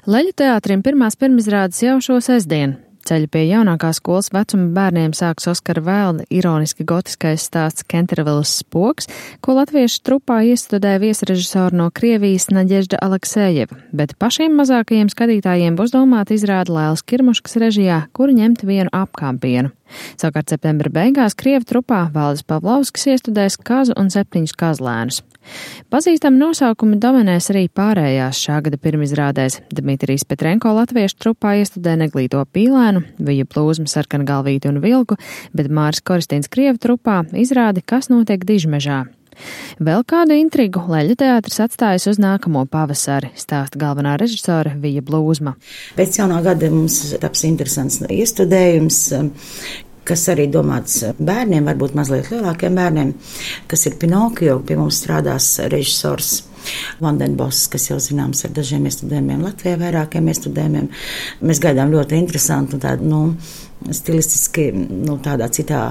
Leļu teātrim pirmās pirmizrādes jau šo sestdienu. Ceļu pie jaunākās skolas vecuma bērniem sāks Oskara Vailda ironiski gotiskais stāsts Kentervilas spoks, ko latviešu trupā iestudē viesrežisori no Krievijas Naģežda Aleksejeva, bet pašiem mazākajiem skatītājiem būs domāta izrāde Lailas Kirmuškas režijā, kura ņemt vienu apkāpienu. Savukārt septembra beigās Krievu trupā Valdis Pavlovskis iestudēs Kazu un 7 kazlēnus. Pazīstami nosaukumi dominēs arī pārējās šā gada pirmizrādēs. Dmitrijs Petrenko latviešu trupā iestudē Neglīto pīlēnu, Vija Plūzma Sarkangalvīti un Vilku, bet Māris Koristins Krievu trupā izrādi Kas notiek Dižmežā. Vēl kādu intrigu Leļu teātris atstājas uz nākamo pavasari, stāsta galvenā režisore Vija Plūzma. Pēc jaunā gada mums taps interesants iestudējums, kas arī domāts bērniem, varbūt mazliet lielākiem bērniem, kas ir Pinokio. Pie mums strādās režisors Vandenboss, kas jau zināms ar dažiem iestudējumiem Latvijā, vairākiem iestudējumiem. Mēs gaidām ļoti interesantu tādu, stilistiski, tādā citā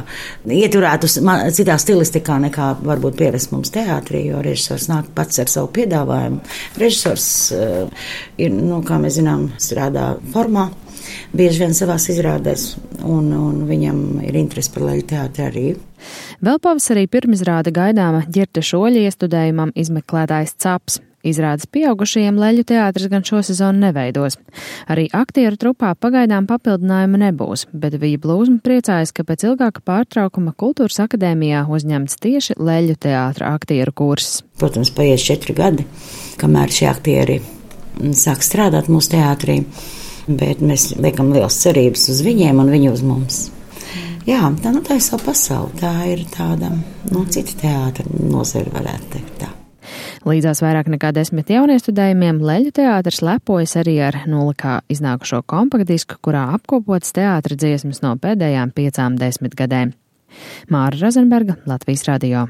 ieturētu, citā stilistikā nekā varbūt pierast mums teātrī, jo režisors nāk pats ar savu piedāvājumu. Režisors ir, kā mēs zinām, strādā formā, bieži vien savās izrādēs, un viņam ir interesi par Leļu teātri arī. Vēl pavasarī pirmizrāde gaidāma Ģirta Šoļa iestudējumam Izmeklētājs Caps. Izrādes pieaugušajiem Leļu teātris gan šo sezonu neveidos. Arī aktieru trupā pagaidām papildinājuma nebūs, bet Vija Plūzma priecājas, ka pēc ilgāka pārtraukuma Kultūras akadēmijā uzņemts tieši Leļu teātra aktieru kurss. Protams, paies 4 gadi, kamēr šie aktieri sāk strādāt mūsu teātrī, bet mēs liekam liels cerības uz viņiem un viņi uz mums. Jā, tā ir savu pasauli, tā ir tāda, cita teātra nozara, varētu teikt tā. Līdzās vairāk nekā 10 jauniestudējumiem Leļu teātris lepojas arī ar nulikā iznākušo kompaktdisku, kurā apkopotas teātra dziesmas no pēdējām 5 desmitgadēm. Māra Rozenberga, Latvijas radio.